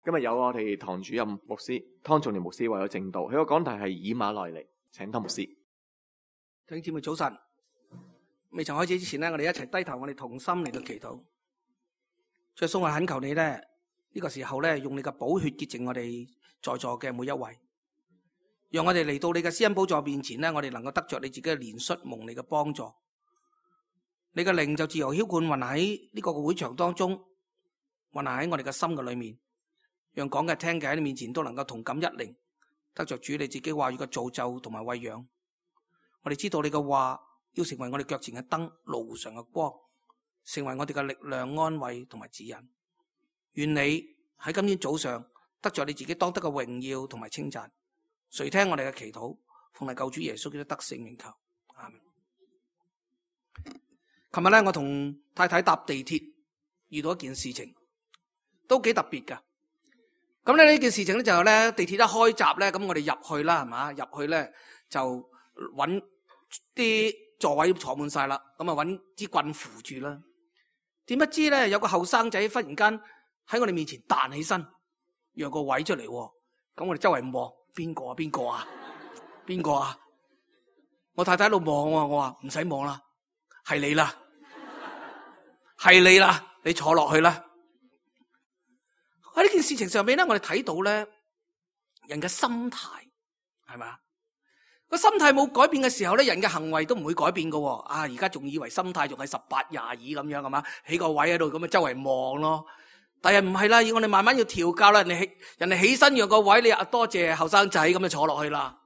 今日有我哋堂主任牧師湯仲年牧師為咗證道，佢個講題係以馬內利，請湯牧師。弟兄姊妹早晨，未曾開始之前呢，我哋一齊低頭，我哋同心嚟到祈禱。主耶穌，我懇求你咧，呢個時候咧，用你嘅寶血潔淨我哋在座嘅每一位，讓我哋嚟到你嘅施恩寶座面前咧，我哋能夠得着你自己嘅憐恤，蒙你嘅幫助。你嘅靈就自由澆灌，運喺呢個會場當中，運行喺我哋嘅心嘅裏面，讓講嘅聽嘅喺你面前都能夠同感一靈，得着主你自己話語嘅造就同埋餵養。我哋知道你嘅話要成為我哋腳前嘅燈，路上嘅光，成為我哋嘅力量、安慰同埋指引。願你喺今天早上得着你自己當得嘅榮耀同埋稱讚。垂聽我哋嘅祈禱，奉你救主耶穌基督得勝名求，阿們。琴日咧，我同太太搭地鐵遇到一件事情，都幾特別噶。咁咧呢件事情咧就係咧地鐵一開閘咧，咁我哋入去啦，係嘛？入去咧就揾啲座位坐滿晒啦，咁啊揾支棍扶住啦。點不知咧有個後生仔忽然間喺我哋面前彈起身，讓個位出嚟。咁我哋周圍望，邊個啊？邊個啊？邊個啊？我太太喺度望我話唔使望啦，係你啦，係你啦，你坐落去啦。喺呢件事情上面咧，我哋睇到咧人嘅心態係咪？個心態冇改變嘅時候咧，人嘅行為都唔會改變噶。而家仲以為心態仲係18、22咁樣係嘛？起個位喺度咁啊，周圍望咯。但係唔係啦，要我哋慢慢要調教啦。人哋起身讓個位，你多謝後生仔咁就坐落去啦。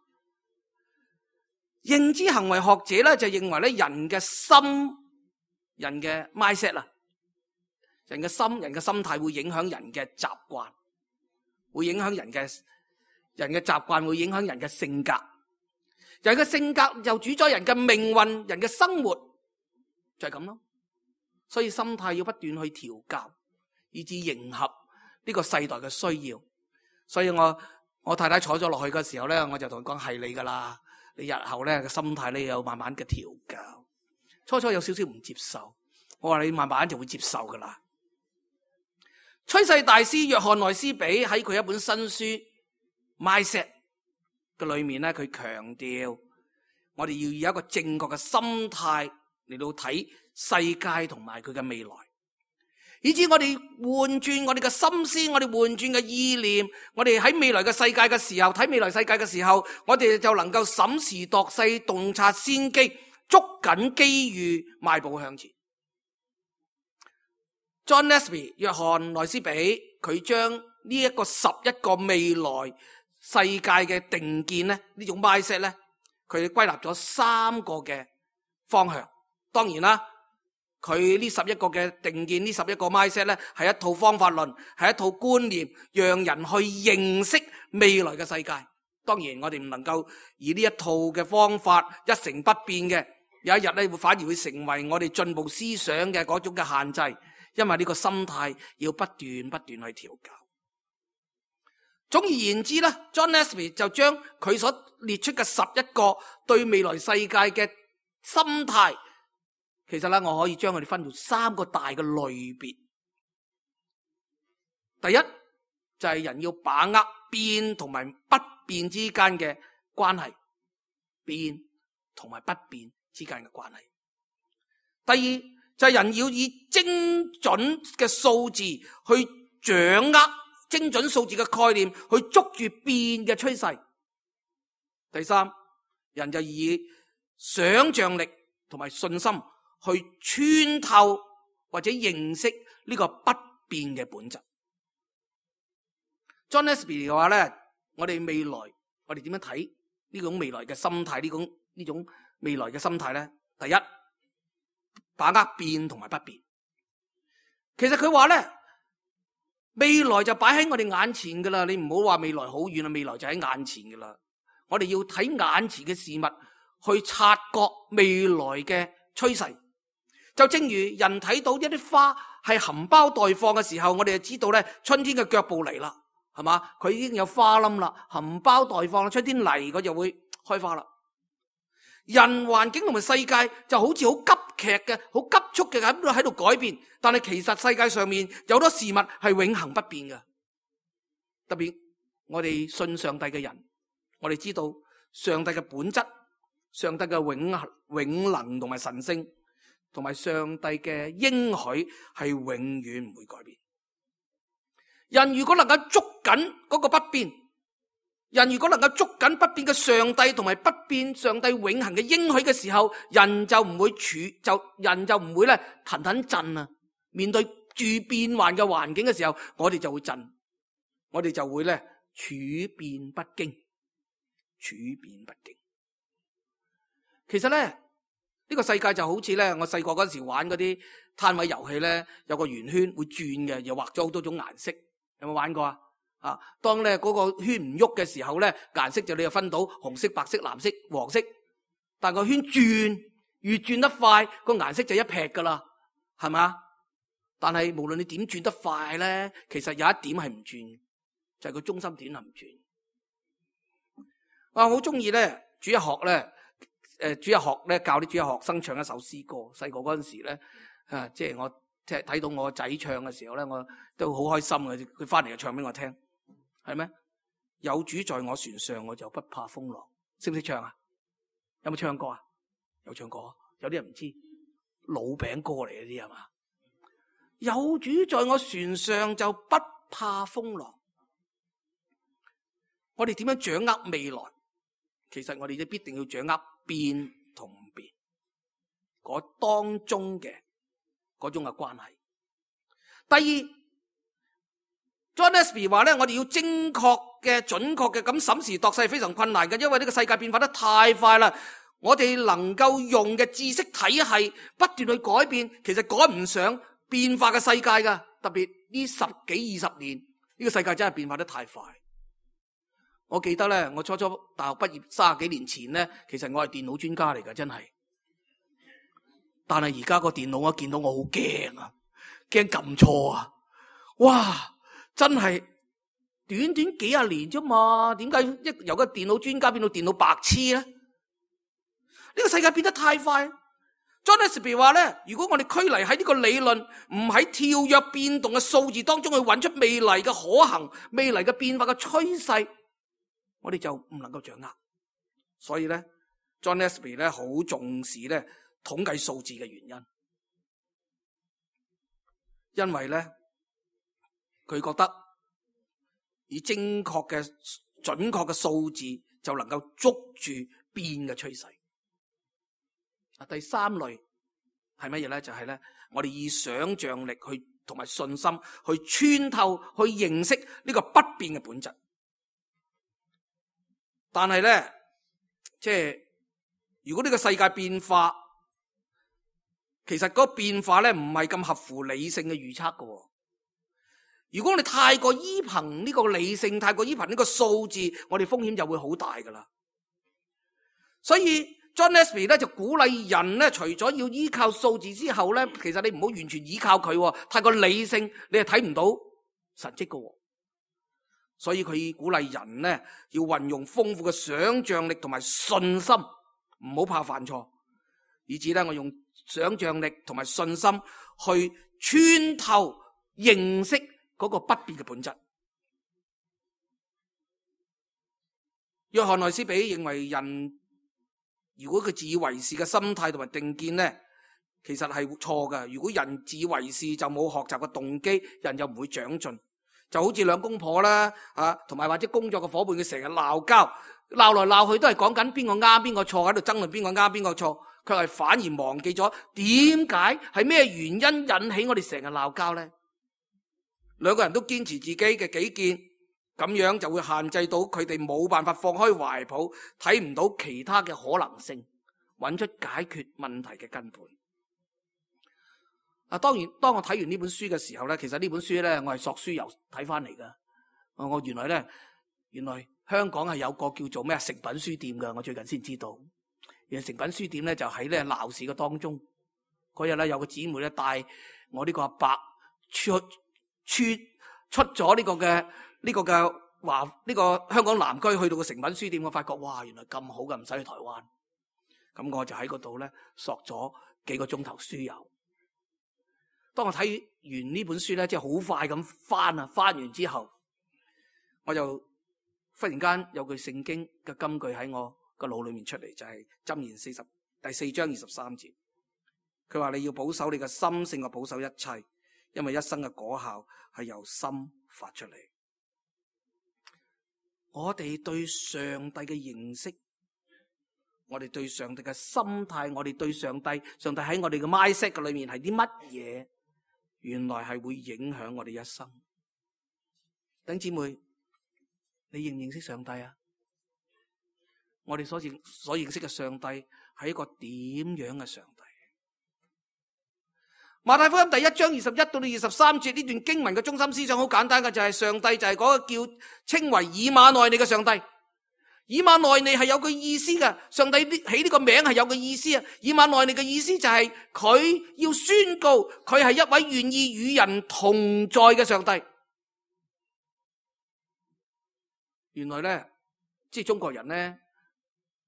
認知行為學者咧就認為咧，人嘅心、人嘅 mindset 啊，人嘅心態會影響人嘅習慣，會影響人嘅習慣，會影響人嘅性格。人嘅性格又主宰人嘅命運，人嘅生活就係咁咯。所以心態要不斷去調教，以至迎合呢個世代嘅需要。所以我太太坐咗落去嘅時候咧，我就同佢講，係你噶啦，你日後咧嘅心態咧有慢慢嘅調教。初初有少少唔接受，我話你慢慢就會接受噶啦。趨勢大師約翰內斯比喺佢一本新書 Mindset 嘅裏面咧，佢強調我哋要有一個正確嘅心態嚟到睇世界同埋佢嘅未來，以至我哋換轉我哋嘅心思，我哋換轉嘅意念，我哋喺未來嘅世界嘅時候，睇未來世界嘅時候，我哋就能夠審時度勢，洞察先機，捉緊機遇，邁步向前。John Nesby 約翰內斯比佢將呢一個11個未來世界嘅定見咧，呢種 mindset 咧，佢歸納咗3個嘅方向。當然啦，佢呢11個嘅定見，呢11個 mindset 咧，係一套方法論，係一套觀念，讓人去認識未來嘅世界。當然我哋唔能夠以呢一套嘅方法一成不變嘅，有一日咧反而會成為我哋進步思想嘅嗰種嘅限制。因為呢個心態要不斷去調教。總而言之咧 ，John Nesby 就將佢所列出嘅11個對未來世界嘅心態，其實咧我可以將佢哋分做3個大嘅類別。第一就係人要把握變同埋不變之間嘅關係，變同埋不變之間嘅關係。第二就係人要以精準嘅數字去掌握精準數字嘅概念，去捉住變嘅趨勢。第三，人就以想象力同埋信心去穿透或者認識呢個不變嘅本質。John Nesby 嘅話咧，我哋未來我哋點樣睇呢種未來嘅心態？呢種未來嘅心態咧，第一，把握變同埋不變。其實佢話咧，未來就擺喺我哋眼前噶啦，你唔好話未來好遠啦，未來就喺眼前噶啦。我哋要睇眼前嘅事物，去察覺未來嘅趨勢。就正如人睇到一啲花係含苞待放嘅時候，我哋就知道咧，春天嘅腳步嚟啦，係嘛？佢已經有花冧啦，含苞待放，春天嚟佢就會開花啦。人環境同埋世界就好似好急劇嘅、好急速嘅喺度改變，但係其實世界上面有好多事物係永恆不變嘅。特別我哋信上帝嘅人，我哋知道上帝嘅本質、上帝嘅永能同埋神聖，同埋上帝嘅應許係永遠唔會改變。人如果能夠捉緊嗰個不變，人如果能夠捉緊不變嘅上帝同埋不變上帝永恆嘅應許嘅時候，人就唔會咧騰騰震啊！面對住變幻嘅環境嘅時候，我哋就會震，我哋就會咧處變不驚，處變不驚。其實咧呢個世界就好似咧我細個嗰陣時玩嗰啲攤位遊戲咧，有個圓圈會轉嘅，又畫咗好多種顏色，有冇玩過啊？啊！當咧嗰個圈唔喐嘅時候咧，顏色就你就分到紅色、白色、藍色、黃色。但個圈越轉得快，個顏色就一撇噶啦，係嘛？但係無論你點轉得快咧，其實有一點係唔轉，就係個中心點係唔轉。我好中意咧，主日學咧教啲主日學生唱一首詩歌。細個嗰陣時咧，即係我即係睇到我仔唱嘅時候咧，我都好開心嘅。佢翻嚟就唱俾我聽。係咩？有主在我船上，我就不怕風浪。識唔識唱啊？有冇唱過啊？有唱過，有啲人唔知，老餅歌嚟嗰啲係嘛？有主在我船上，就不怕風浪。我哋點樣掌握未來？其實我哋都必定要掌握變同唔變嗰當中嘅嗰種嘅關係。第二，John Nesby 話咧，我哋要精確嘅、準確嘅咁審時度勢係非常困難嘅，因為呢個世界變化得太快啦。我哋能夠用嘅知識體系不斷去改變，其實趕唔上變化嘅世界噶。特別呢10幾20年，呢個世界真係變化得太快。我記得咧，我初大學畢業30幾年前咧，其實我係電腦專家嚟噶，真係。但係而家個電腦我見到我好驚啊，驚撳錯啊！哇！真係短短幾廿年啫嘛，點解由個電腦專家變到電腦白痴咧？呢個世界變得太快。John Nesby 話咧，如果我哋拘泥喺呢個理論，唔喺跳躍變動嘅數字當中去揾出未來嘅可行、未來嘅變化嘅趨勢，我哋就唔能夠掌握。所以咧 ，John Nesby 咧好重視咧統計數字嘅原因，因為咧佢覺得以精確嘅、準確嘅數字就能夠捉住變嘅趨勢。第三類係乜嘢咧？就係咧，我哋以想象力去同埋信心去穿透、去認識呢個不變嘅本質。但係咧，即係如果呢個世界變化，其實嗰個變化咧唔係咁合乎理性嘅預測嘅。如果我哋太過依憑呢個理性，太過依憑呢個數字，我哋風險就會好大噶啦。所以John Nesby 咧就鼓勵人咧，除咗要依靠數字之後咧，其實你唔好完全依靠佢，太過理性你係睇唔到神蹟噶。所以佢鼓勵人咧要運用豐富嘅想象力同埋信心，唔好怕犯錯，以至咧我用想象力同埋信心去穿透認識嗰個不變嘅本質。約翰內斯比認為人如果佢自以為是嘅心態同埋定見咧，其實係錯嘅。如果人自以為是就冇學習嘅動機，人就唔會長進。就好似兩公婆啦，同埋或者工作嘅伙伴，佢成日鬧交，鬧來鬧去都係講緊邊個啱邊個錯，喺度爭論邊個啱邊個錯，卻係反而忘記咗點解係咩原因引起我哋成日鬧交咧？兩個人都堅持自己嘅己見，咁樣就會限制到佢哋冇辦法放開懷抱，睇唔到其他嘅可能性，揾出解決問題嘅根本。當然，當我睇完呢本書嘅時候咧，其實呢本書咧，我係索書由睇翻嚟噶。我原來香港係有個叫做咩誠品書店噶，我最近先知道。原來誠品書店咧就喺咧鬧市嘅當中。嗰日咧有個姊妹咧帶我呢個阿伯出咗呢個香港南區去到個誠品書店，我發覺哇，原來咁好嘅，唔使去台灣。咁我就喺嗰度咧索咗幾個鐘頭書油。當我睇完呢本書咧，即係好快咁翻完之後，我就忽然間有句聖經嘅金句喺我個腦裏面出嚟，就係箴言第4章23節。佢話你要保守你嘅心勝過保守一切，因為一生嘅果效係由心發出嚟。我哋對上帝嘅認識，我哋對上帝嘅心態，我哋對上帝喺我哋嘅 mindset 嘅裏面係啲乜嘢？原來係會影響我哋一生。弟兄姊妹，你認唔認識上帝啊？我哋所認識嘅上帝係一個點樣嘅上帝？馬太福音第1章21到23節呢段經文嘅中心思想好簡單嘅，就係上帝就係嗰個叫稱為以馬內利嘅上帝。以馬內利係有個意思嘅，上帝起呢個名係有個意思啊。以馬內利嘅意思就係佢要宣告佢係一位願意與人同在嘅上帝。原來咧，即係中國人咧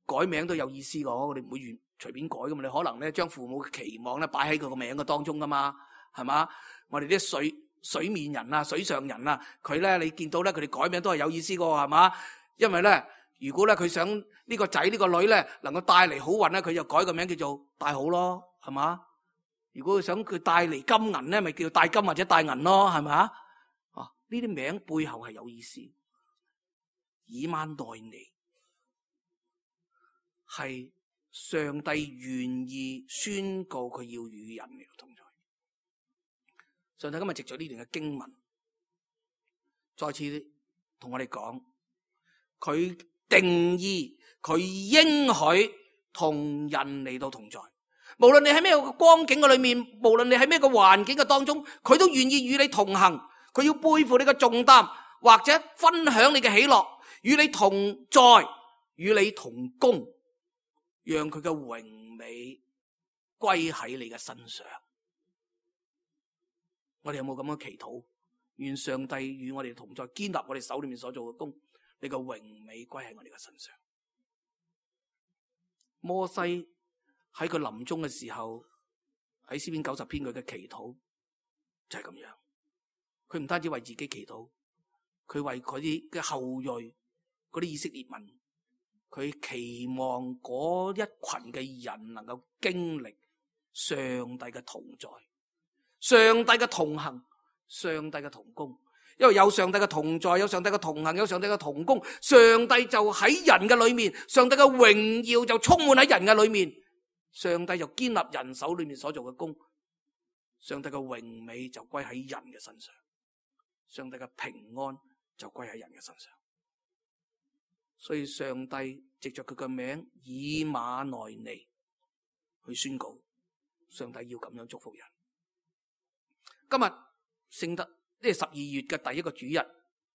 改名都有意思噶，我哋唔會隨便改噶嘛。你可能咧將父母嘅期望咧擺喺佢個名嘅當中噶嘛，係嘛？我哋啲水面人啊、水上人啊，佢咧你見到咧佢哋改名都係有意思噶，係嘛？因為咧，如果咧佢想呢個仔呢個女咧能夠帶嚟好運咧，佢就改個名叫做帶好咯，係嘛？如果佢想佢帶嚟金銀咧，咪叫帶金或者帶銀咯，係咪啊？呢啲名背後係有意思。以馬內利係上帝願意宣告佢要與人嚟同在。上帝今日藉著呢段嘅經文，再次同我哋講，佢定義，佢應許同人嚟到同在。無論你喺咩個光景嘅裏面，無論你喺咩個環境嘅當中，佢都願意與你同行。佢要背負你嘅重擔，或者分享你嘅喜樂，與你同在，與你同工，讓佢嘅榮美歸喺你嘅身上。我哋有冇咁樣祈禱？願上帝與我哋同在，堅立我哋手裏面所做嘅工，你嘅榮美歸喺我哋嘅身上。摩西喺佢臨終嘅時候，喺詩篇90篇佢嘅祈禱就係咁樣。佢唔單止為自己祈禱，佢為佢啲嘅後裔，嗰啲以色列民，佢期望嗰一群嘅人能夠經歷上帝嘅同在、上帝嘅同行、上帝嘅同工。因為有上帝嘅同在，有上帝嘅同行，有上帝嘅同工，上帝就喺人嘅裏面，上帝嘅榮耀就充滿喺人嘅裏面，上帝就堅立人手裏面所做嘅工，上帝嘅榮美就歸喺人嘅身上，上帝嘅平安就歸喺人嘅身上。所以上帝藉着佢嘅名以馬內利去宣告，上帝要咁樣祝福人。今日聖誕，呢係12月嘅第一個主日，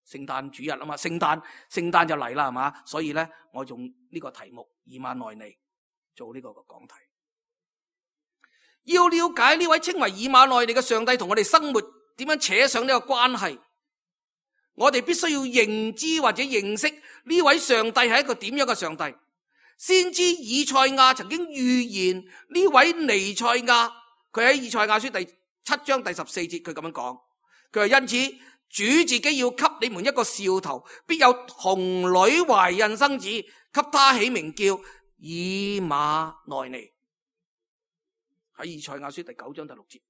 聖誕主日啊嘛，聖誕就嚟啦，係嘛？所以咧，我用呢個題目以馬內利做呢個講題。要了解呢位稱為以馬內利嘅上帝同我哋生活點樣扯上呢個關係，我哋必須要認知或者認識呢位上帝係一個點樣嘅上帝。先知以賽亞曾經預言呢位彌賽亞，佢喺以賽亞書第7章第14節，佢咁樣講，佢話因此主自己要給你們一個兆頭，必有童女懷孕生子，給他起名叫以馬內利。喺以賽亞書第9章第6節，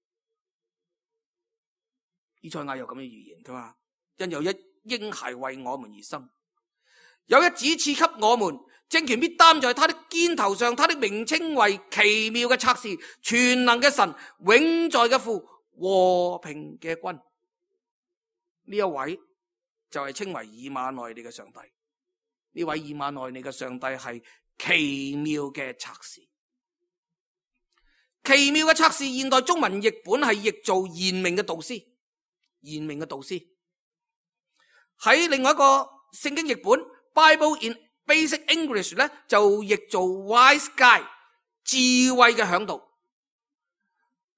以賽亞又咁樣預言，佢話因有一嬰孩為我們而生，有一子賜給我們，政權必擔在他的肩頭上，他的名稱為奇妙嘅策士，全能嘅神，永在嘅父，和平嘅君。呢一位就係稱為以馬內利嘅上帝。呢位以馬內利嘅上帝係奇妙嘅策士。奇妙嘅策士，現代中文譯本係譯做賢明嘅導師。賢明嘅導師喺另外一個聖經譯本 Bible in Basic English 咧，就譯做 wise guide， 智慧嘅嚮導。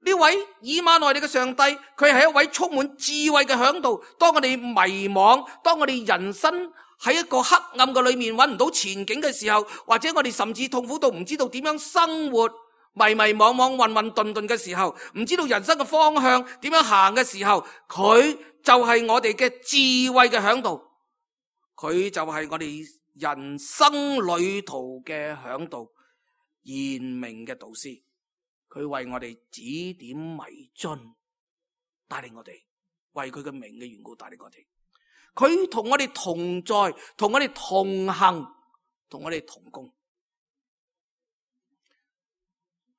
呢位以馬內利嘅上帝，佢係一位充滿智慧嘅嚮導。當我哋迷惘，當我哋人生喺一個黑暗嘅裏面揾唔到前景嘅時候，或者我哋甚至痛苦到唔知道點樣生活，迷迷惘惘、混混沌沌嘅時候，唔知道人生嘅方向點樣行嘅時候，佢就係我哋嘅智慧嘅嚮導。佢就係我哋人生旅途嘅嚮導，賢明嘅導師。佢為我哋指點迷津，帶領我哋，為佢嘅名嘅緣故帶領我哋。佢同我哋同在，同我哋同行，同我哋同工。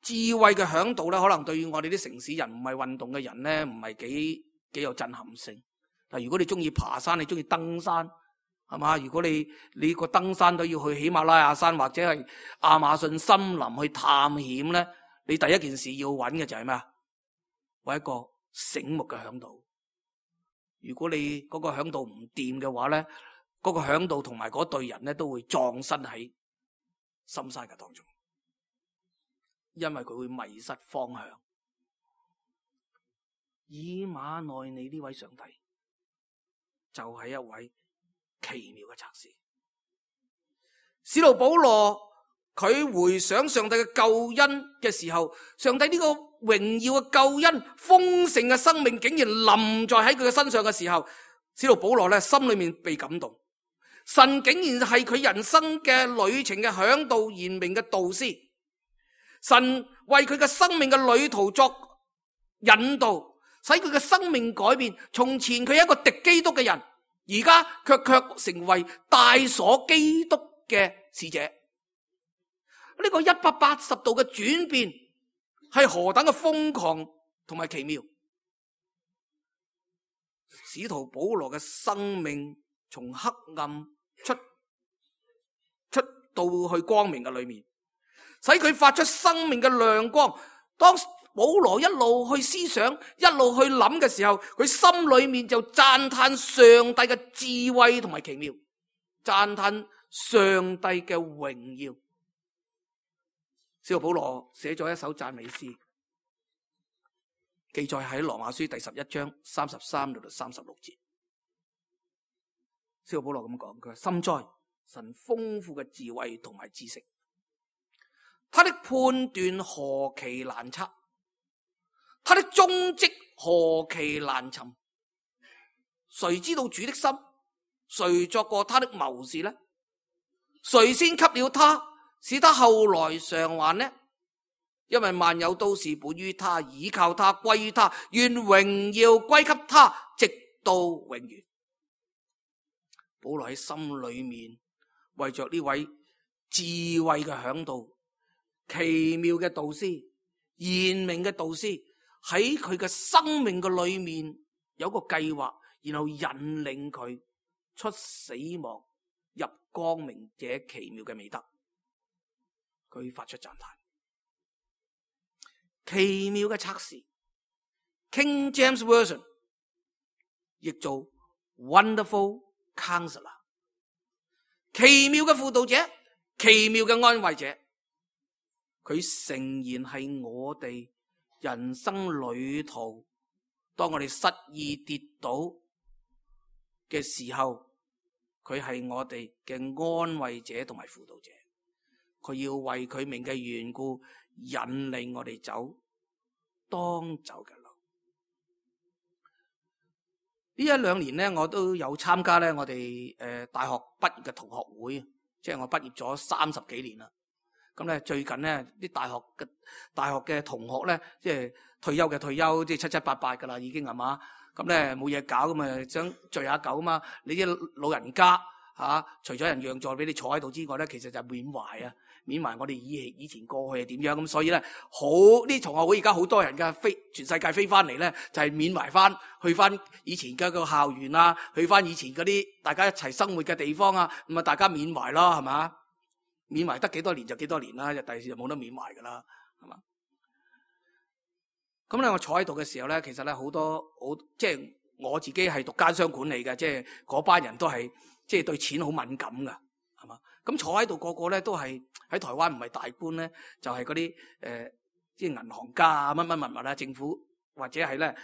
智慧嘅嚮導咧，可能對於我哋啲城市人唔係運動嘅人咧，唔係幾有震撼性。但如果你中意爬山，你中意登山，係嘛？如果你個登山都要去喜馬拉雅山或者係亞馬遜森林去探險咧，你第一件事要揾嘅就係咩啊？揾一個醒目嘅嚮導。如果你嗰個嚮導唔掂嘅話咧，嗰個嚮導同埋嗰隊人咧都會葬身喺深山嘅當中，因為佢會迷失方向。以馬內利呢位上帝就係一位奇妙嘅策士。使徒保羅佢回想上帝嘅救恩嘅時候，上帝呢個榮耀嘅救恩、豐盛嘅生命竟然臨在喺佢嘅身上嘅時候，使徒保羅咧心裏面被感動。神竟然係佢人生嘅旅程嘅嚮導、賢明嘅導師。神為佢嘅生命嘅旅途作引導，使佢嘅生命改變。從前佢係一個敵基督嘅人，而家卻成為帶鎖基督嘅使者。呢個180度嘅轉變係何等嘅瘋狂同埋奇妙！使徒保羅嘅生命從黑暗出到去光明嘅裏面，使佢發出生命嘅亮光。當保羅一路去思想，一路去諗嘅時候，佢心裏面就讚嘆上帝嘅智慧同埋奇妙，讚嘆上帝嘅榮耀。使徒保羅寫咗一首讚美詩，記載喺羅馬書第11章33到36節。使徒保羅咁講，佢話：深哉，神豐富嘅智慧同埋知識，他的判斷何其難測，他的蹤跡何其難尋。誰知道主的心？誰作過他的謀士呢？誰先給了他，使他後來償還呢？因為萬有都是本於他，倚靠他，歸於他，願榮耀歸給他，直到永遠。保羅喺心裏面為着呢位智慧嘅嚮導、奇妙嘅導師、賢明嘅導師，喺佢嘅生命嘅裏面有個計劃，然後引領佢出死亡入光明者奇妙嘅美德。佢發出讚嘆。奇妙嘅策士 King James Version 譯做 Wonderful Counselor， 奇妙嘅輔導者，奇妙嘅安慰者。佢誠然係我哋人生旅途，當我哋失意跌倒嘅時候，佢係我哋嘅安慰者同埋輔導者。佢要為佢名嘅緣故引領我哋走當走嘅路。呢1-2年咧，我都有參加咧我哋大學畢業嘅同學會，即係我畢業咗30幾年啦。咁咧最近咧啲大學嘅同學咧，即係退休嘅退休，即係7-8噶啦，已經係嘛。咁咧冇嘢搞，咁啊想聚下舊啊嘛。你啲老人家除咗人讓座俾你坐喺度之外咧，其實就緬懷啊。緬懷我哋以前過去係點樣咁，所以咧好呢同學會而家好多人嘅全世界飛翻嚟咧，就係緬懷翻去翻以前嘅個校園啊，去翻以前嗰啲大家一齊生活嘅地方啊，咁啊大家緬懷咯，係嘛？緬懷得幾多年就幾多年啦，第時就冇得緬懷噶啦，係嘛？咁咧我坐喺度嘅時候咧，其實咧好多即係我自己係讀奸商管理嘅，即係嗰班人都係即係對錢好敏感噶，係嘛？咁坐喺度個個咧都係喺台灣唔係大官咧，就係嗰啲即係銀行家啊，乜乜物物啊，政府或者係咧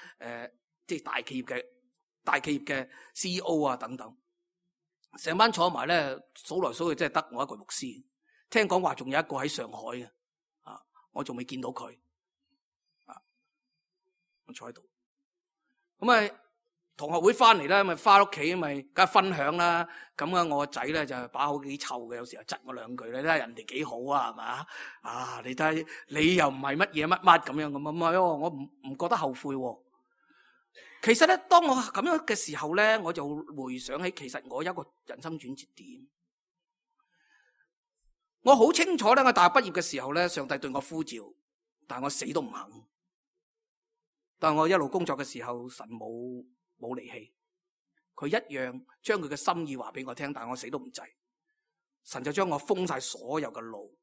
即係大企業嘅 CEO 啊等等，成班坐埋咧數來數去，真係得我一個牧師。聽講話仲有一個喺上海嘅，我仲未見到佢，我坐喺度。咁同學會翻嚟咧，咪翻屋企咪梗係分享啦。咁啊，我個仔咧就把口幾臭嘅，有時候窒我兩句咧，睇下人哋幾好啊，係嘛？啊，你睇你又唔係乜嘢乜乜咁樣咁啊？唔係喎，我唔覺得後悔喎。其實咧，當我咁樣嘅時候咧，我就回想起，其實我有一個人生轉折點。我好清楚咧，我大學畢業嘅時候咧，上帝對我呼召，但係我死都唔肯。但係我一路工作嘅時候，神冇離棄，佢一樣將佢嘅心意話俾我聽，但係我死都唔制。神就將我封晒所有嘅路，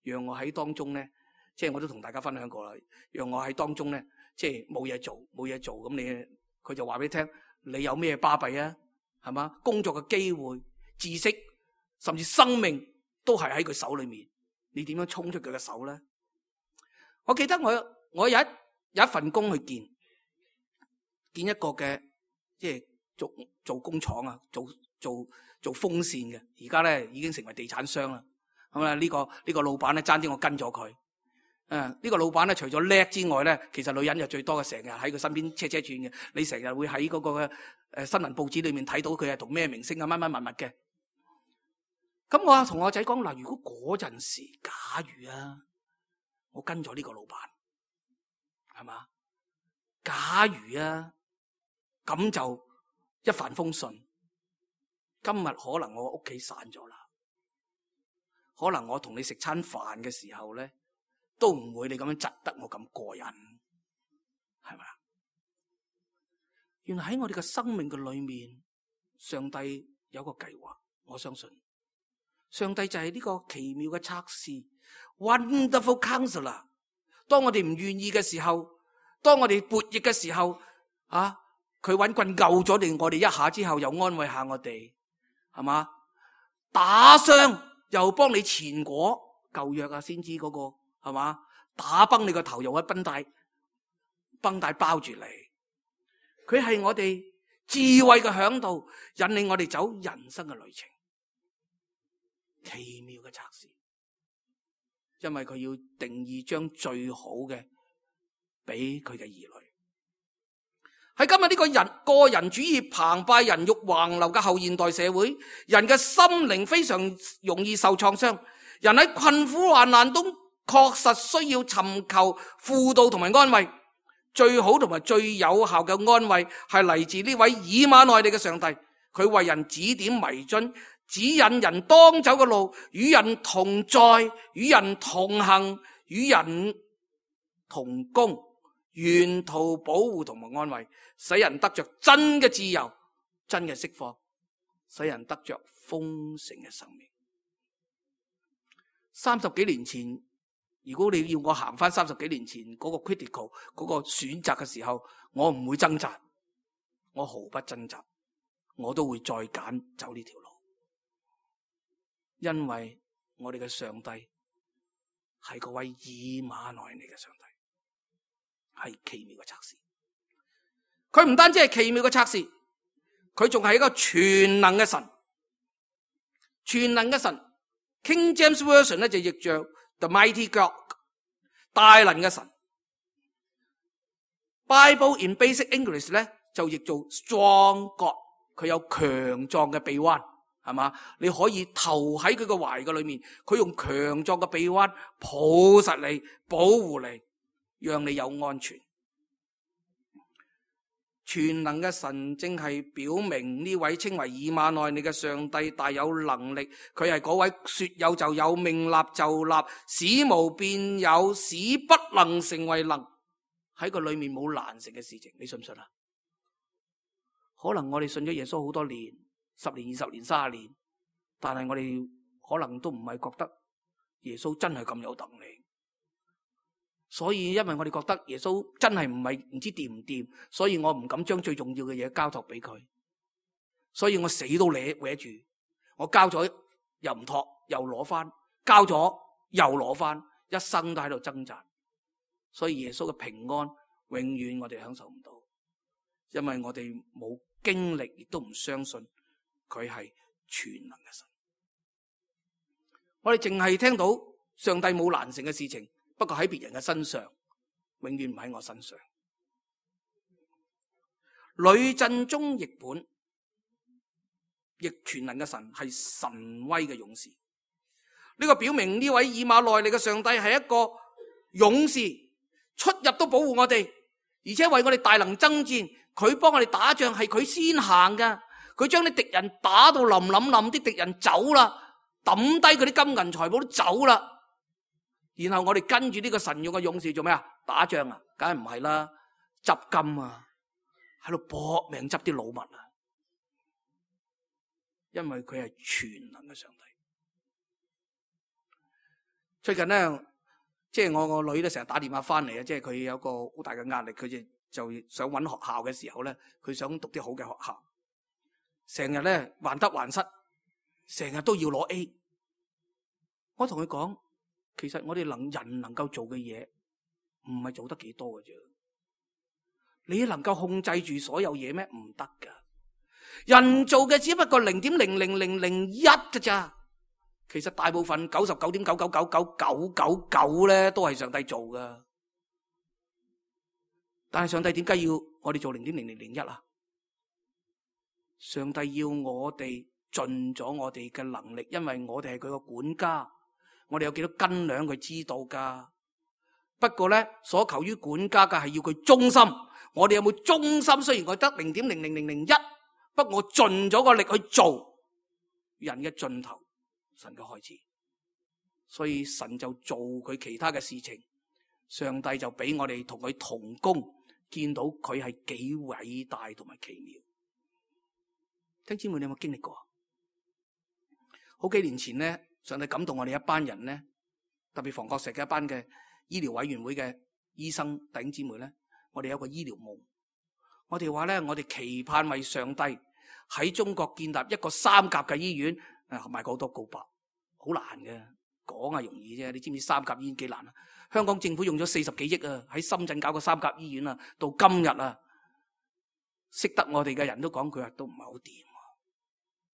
讓我喺當中咧，即係我都同大家分享過啦，讓我喺當中咧，即係冇嘢做咁佢就話俾你聽，你有咩巴閉啊？係嘛？工作嘅機會、知識，甚至生命都係喺佢手裏面，你點樣衝出佢嘅手咧？我記得我有一份工去見一個嘅，即係做工廠啊，做風扇嘅，而家咧已經成為地產商啦。咁啊，呢個老闆咧，爭啲我跟咗佢。呢個老闆咧，除咗叻之外咧，其實女人就最多嘅，成日喺佢身邊車轉嘅。你成日會喺嗰個新聞報紙裏面睇到佢係同咩明星啊乜乜物嘅。咁我同我仔講嗱，如果嗰陣時，假如啊，我跟咗呢個老闆，係嘛？假如啊，咁就一帆風順。今日可能我屋企散咗啦，可能我同你食餐飯嘅時候咧，都唔會你咁樣窒得我咁過癮，係咪啊？原來喺我哋嘅生命嘅裏面，上帝有個計劃。我相信上帝就係呢個奇妙嘅測試 ，Wonderful Counselor。當我哋唔願意嘅時候，當我哋悖逆嘅時候，啊，佢搵棍救咗我哋一下之後，又安慰下我哋，係嘛？打傷又幫你前果，舊約啊，先知嗰個。係嘛？打崩你個頭，用一繃帶包住你。佢係我哋智慧嘅嚮導，引領我哋走人生嘅旅程。奇妙嘅測試，因為佢要定義將最好嘅俾佢嘅兒女。喺今日呢個個人主義澎湃、人欲橫流嘅後現代社會，人嘅心靈非常容易受創傷，人喺困苦患難中確實需要尋求輔導同埋安慰。最好同埋最有效嘅安慰係嚟自呢位以馬內利嘅上帝，佢為人指點迷津，指引人當走嘅路，與人同在，與人同行，與人同工，沿途保護同埋安慰，使人得着真嘅自由、真嘅釋放，使人得着豐盛嘅生命。30幾年前，如果你要我行翻30幾年前嗰個 critical 嗰個選擇嘅時候，我唔會掙扎，我毫不掙扎，我都會再揀走呢條路，因為我哋嘅上帝係嗰位以馬內利嘅上帝，係奇妙嘅測試。佢唔單止係奇妙嘅測試，佢仲係一個全能嘅神。全能嘅神 King James Version 咧就譯著 The Mighty God， 大能嘅神。Bible in Basic English 咧就譯做 Strong God， 佢有強壯嘅臂彎，係嘛？你可以投喺佢個懷嘅裏面，佢用強壯嘅臂彎抱實你，保護你，讓你有安全。全能嘅神正係表明呢位稱為以馬內利嘅上帝大有能力，佢係嗰位說有就有，命立就立，使無變有，使不能成為能，喺個裏面冇難成嘅事情，你信唔信啊？可能我哋信咗耶穌好多年，10年、20年、30年，但係我哋可能都唔係覺得耶穌真係咁有能力。所以因為我哋覺得耶穌真係唔知掂唔掂，所以我唔敢將最重要嘅嘢交託俾佢，所以我死都搲住，我交咗又唔托，又攞翻，交咗又攞翻，一生都喺度掙扎。所以耶穌嘅平安永遠我哋享受唔到，因為我哋冇經歷，亦都唔相信佢係全能嘅神。我哋淨係聽到上帝冇難成嘅事情，不過喺別人嘅身上，永遠唔喺我身上。呂振中譯本亦全能嘅神係神威嘅勇士。呢個表明呢位以馬內利嘅上帝係一個勇士，出入都保護我哋，而且為我哋大能爭戰。佢幫我哋打仗係佢先行噶，佢將啲敵人打到冧，啲敵人走啦，抌低佢啲金銀財寶都走啦。然後我哋跟住呢個神勇嘅勇士做咩啊？打仗啊？梗係唔係啦，執金啊，喺度搏命執啲老物啊。因為佢係全能嘅上帝。最近咧，即係我個女咧成日打電話翻嚟啊，即係佢有個好大嘅壓力，佢就想揾學校嘅時候咧，佢想讀啲好嘅學校，成日咧患得患失，成日都要攞 A。我同佢講，其實我哋人能夠做嘅嘢唔係做得幾多嘅啫。你能夠控制住所有嘢咩？唔得噶。人做嘅只不過0.00001嘅咋。其實大部分99.9999999咧都係上帝做噶。但係上帝點解要我哋做0.0001啊？上帝要我哋盡咗我哋嘅能力，因為我哋係佢個管家，我哋有幾多斤兩佢知道噶。不過咧，所求於管家嘅係要佢忠心。我哋有冇忠心？雖然我得0.00001，不過我盡咗個力去做人嘅盡頭，神嘅開始。所以神就做佢其他嘅事情，上帝就俾我哋同佢同工，見到佢係幾偉大同埋奇妙。聽姊妹，你有冇經歷過？好幾年前咧，上帝感動我哋一班人咧，特別房角石嘅一班嘅醫療委員會嘅醫生弟兄姊妹咧，我哋有個醫療夢。我哋話咧，我哋期盼為上帝喺中國建立一個3甲嘅醫院，賣過好多告白，好難嘅，講係容易啫。你知唔知3甲醫院幾難啊？香港政府用咗40幾億啊，喺深圳搞個3甲醫院啊，到今日啊，識得我哋嘅人都講佢話都唔係好掂，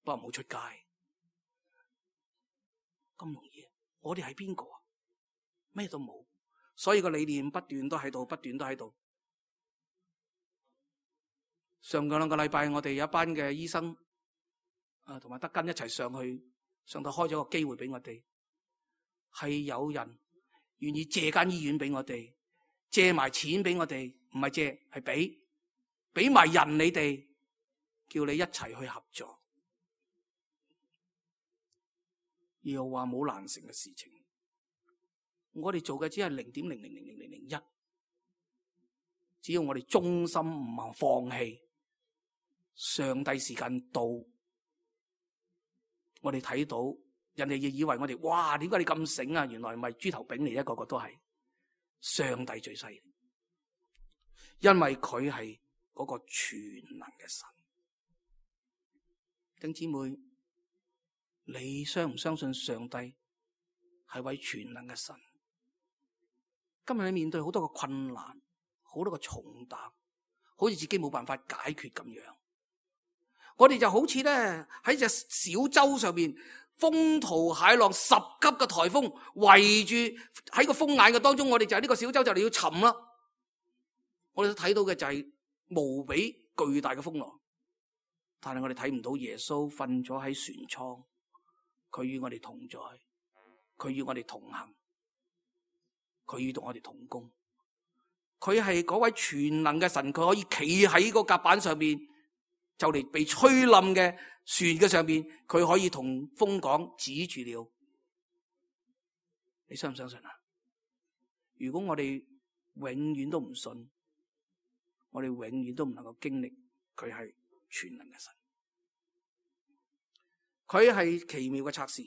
不過冇出街。咁容易？我哋係邊個啊？咩都冇，所以個理念不斷都喺度，不斷都喺度。上個2個禮拜，我哋有一班嘅醫生同埋德根一齊上去，上帝開咗個機會俾我哋，係有人願意借間醫院俾我哋，借埋錢俾我哋，唔係借係俾埋人你哋，叫你一齊去合作。又話冇難成嘅事情，我哋做嘅只係0.00001，只要我哋忠心唔肯放棄，上帝時間到，我哋睇到人哋亦以為我哋哇，點解你咁醒啊？原來唔係豬頭炳嚟，一個個都係上帝最犀利，因為佢係嗰個全能嘅神。弟兄姊妹，你相唔相信上帝係位全能嘅神？今日你面對好多個困難，好多個重擔，好似自己冇辦法解決咁樣。我哋就好似咧喺隻小舟上面，風濤駭浪，10級嘅颱風圍住喺個風眼嘅當中，我哋就係呢個小舟就嚟要沉啦。我哋睇到嘅就係無比巨大嘅風浪，但係我哋睇唔到耶穌瞓咗喺船艙。佢與我哋同在，佢與我哋同行，佢與我哋同工。佢係嗰位全能嘅神，佢可以企喺個甲板上面，就嚟被吹冧嘅船嘅上面，佢可以同風講止住了。你相唔相信啊？如果我哋永遠都唔信，我哋永遠都唔能夠經歷佢係全能嘅神。佢係奇妙嘅策士，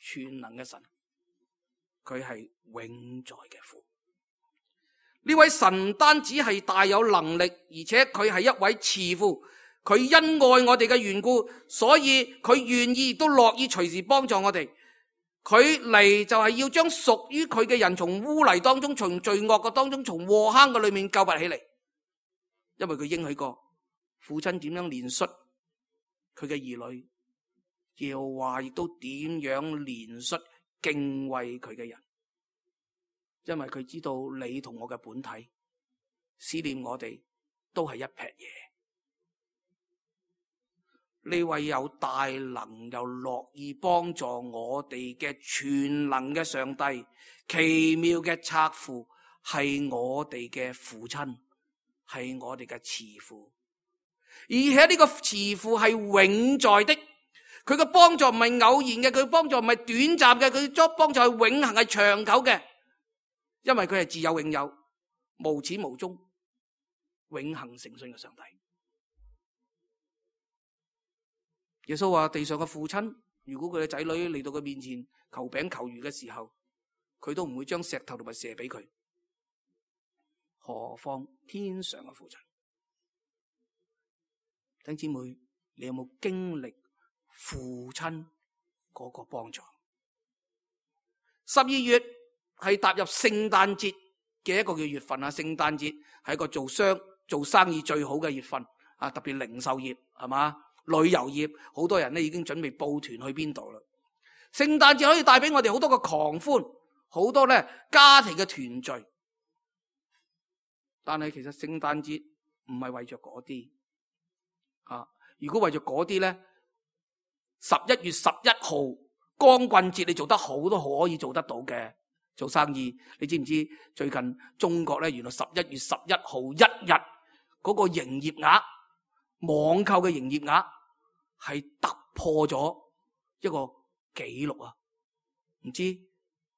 全能嘅神，佢係永在嘅父。呢位神唔單止係大有能力，而且佢係一位慈父。佢因愛我哋嘅緣故，所以佢願意亦都樂意隨時幫助我哋。佢嚟就係要將屬於佢嘅人從污泥當中，從罪惡嘅當中，從禍坑嘅裏面救拔起嚟。因為佢應許過父親點樣憐恤佢嘅兒女，耶和華亦都點樣憐恤敬畏佢嘅人，因為佢知道你同我嘅本體思念我哋都係一撇嘢，呢位有大能又樂意幫助我哋嘅全能嘅上帝，奇妙嘅策父，係我哋嘅父親，係我哋嘅慈父。而且呢個慈父係永在的，佢嘅幫助唔係偶然嘅，佢幫助唔係短暫嘅，佢幫助係永恆，係長久嘅，因為佢係自有永有，無始無終，永恆誠信嘅上帝。耶穌話地上嘅父親，如果佢嘅仔女嚟到佢面前求餅求魚嘅時候，佢都唔會將石頭同埋蛇俾佢，何況天上嘅父親？弟兄姊妹，你有冇經歷父親嗰個幫助？12月係踏入聖誕節嘅一個嘅月份啊！聖誕節係一個做生意最好嘅月份啊！特別零售業係嘛，旅遊業好多人咧已經準備報團去邊度啦。聖誕節可以帶俾我哋好多個狂歡，好多咧家庭嘅團聚。但係其實聖誕節唔係為着嗰啲啊！如果為着嗰啲咧，11月11號光棍節你做得好都可以做得到嘅。做生意，你知唔知最近中國咧原來11月11號一日嗰個營業額，網購嘅營業額係突破咗一個紀錄啊！唔知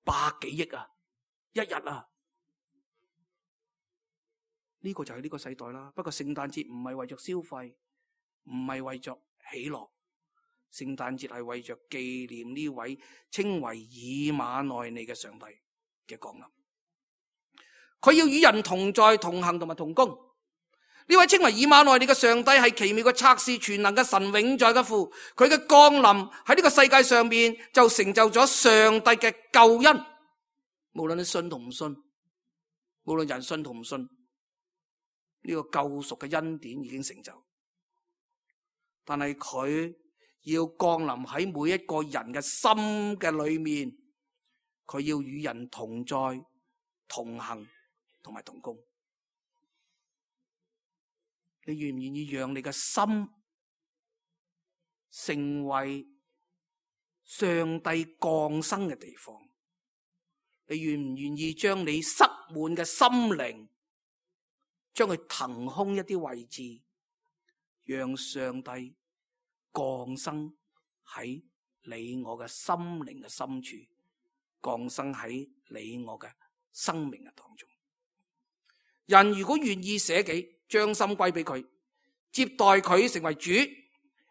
100幾億啊，一日啊！呢個就係呢個世代啦。不過聖誕節唔係為着消費，唔係為着喜樂，聖誕節係為着紀念呢位稱為以馬內利嘅上帝嘅降臨。佢要與人同在、同行同埋同工。呢位稱為以馬內利嘅上帝係奇妙嘅策士、全能嘅神、永在嘅父。佢嘅降臨喺呢個世界上面就成就咗上帝嘅救恩。無論你信同唔信，無論人信同唔信，呢個救贖嘅恩典已經成就。但係佢要降臨喺每一個人嘅心嘅裏面，佢要與人同在、同行同埋同工。你願唔願意讓你嘅心成為上帝降生嘅地方？你願唔願意將你塞滿嘅心靈，將佢騰空一啲位置，讓上帝降生喺你我嘅心靈嘅深處，降生喺你我嘅生命嘅當中。人如果願意捨己，將心歸俾佢，接待佢成為主，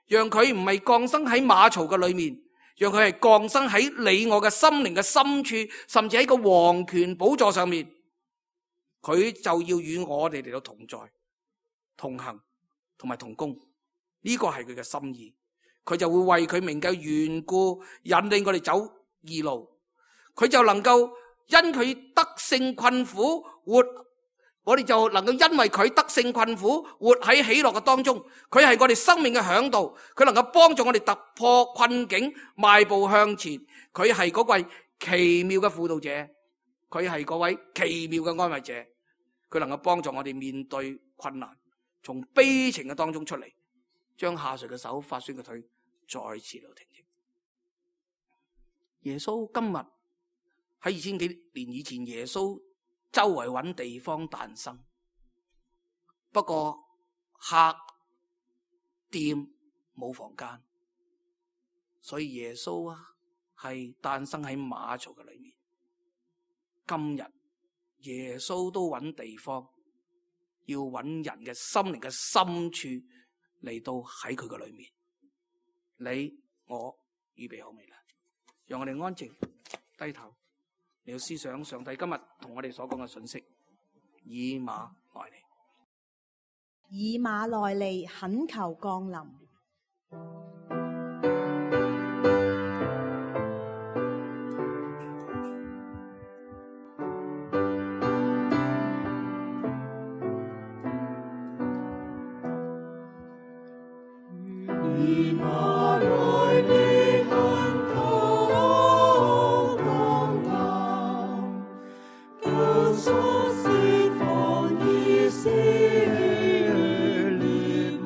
讓佢唔係降生喺馬槽嘅裏面，讓佢係降生喺你我嘅心靈嘅深處，甚至喺個王權寶座上面，佢就要與我哋嚟到同在、同行同埋同工。呢個係佢嘅心意，佢就會為佢名嘅緣故引領我哋走義路，佢就能夠因佢得勝困苦活，我哋就能夠因為佢得勝困苦活喺喜樂嘅當中。佢係我哋生命嘅嚮導，佢能夠幫助我哋突破困境，邁步向前。佢係嗰位奇妙嘅輔導者，佢係嗰位奇妙嘅安慰者，佢能夠幫助我哋面對困難，從悲情嘅當中出嚟，將下垂嘅手、發酸嘅腿再次嚟挺直。耶穌今日喺2000幾年以前，耶穌周圍揾地方誕生，不過客店冇房間，所以耶穌啊係誕生喺馬槽嘅裏面。今日耶穌都揾地方，要揾人嘅心靈嘅深處嚟到喺佢嘅裏面。你我預備好未啦？讓我哋安靜低頭，你要思想上帝今日同我哋所講嘅信息。以馬內利，以馬內利，懇求降臨。以馬內利，懇求降臨，救贖釋放以色列民，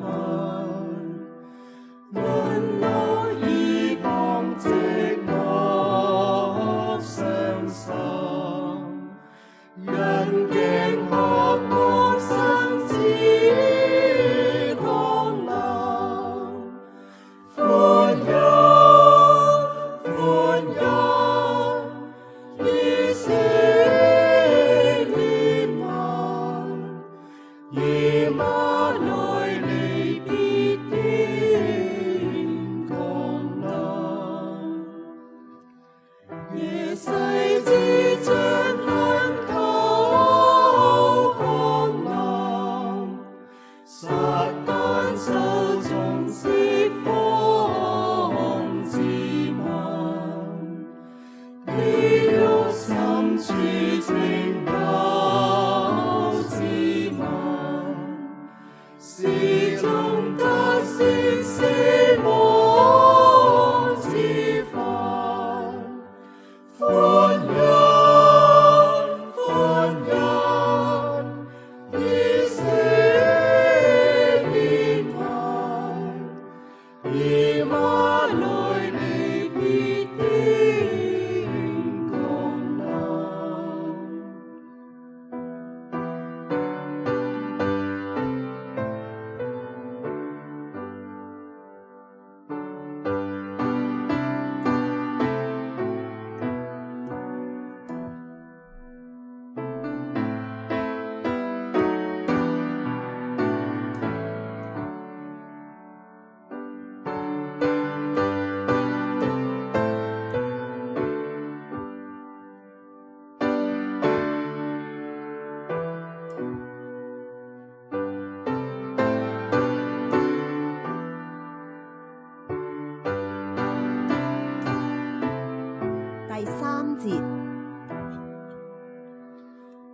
節。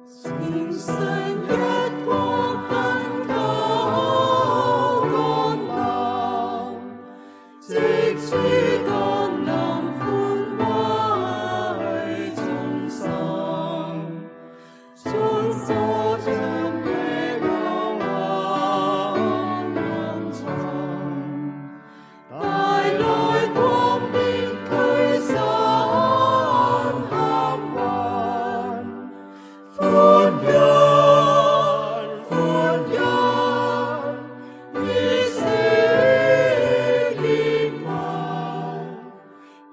聖神一光恆久降臨，藉主降臨寬慰眾生，將所將的幽暗沉，帶來光明驅散黑雲。歡欣，歡欣，以色列民，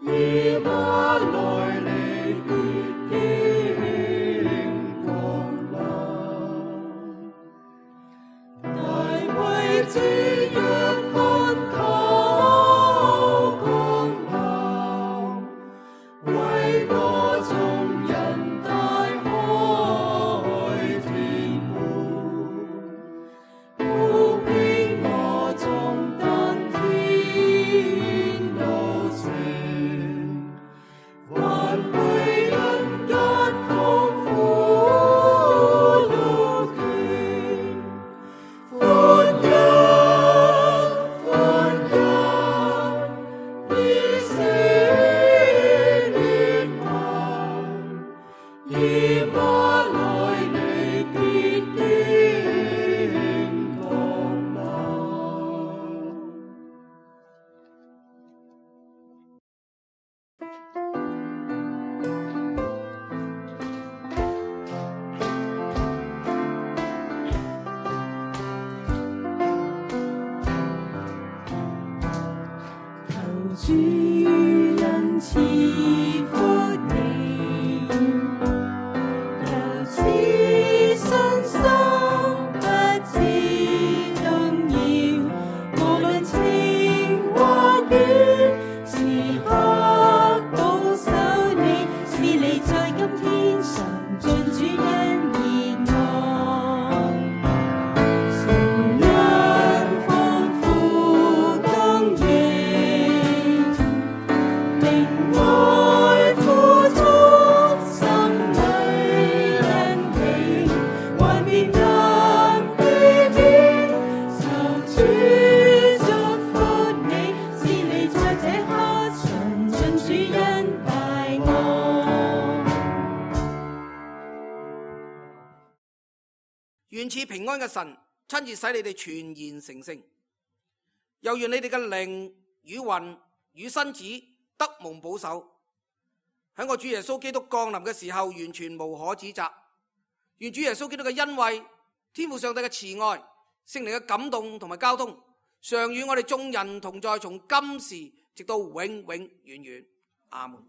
以馬內利必定降臨。大衛之約恆久降臨，為我眾人大開天門，鋪平我眾登天路程，還為人間痛苦路徑。歡欣，歡欣，以色列民，以馬內利必定降臨。求主恩賜福你，由此身心不致動搖，無論情或願，時刻保守你，使你在今天常盡主恩熱愛。神恩豐富供應，令愛付出心裏恩情，還別人避免，求主祝福你，使你在這刻常盡主恩大愛。願賜平安嘅神親自使你哋全然成聖，又願你哋嘅靈與魂與身子得蒙保守，喺我主耶穌基督降臨嘅時候完全無可指責。願主耶穌基督嘅恩惠、天父上帝嘅慈愛、聖靈嘅感動同埋交通，常與我哋眾人同在，從今時直到永永遠遠。阿門。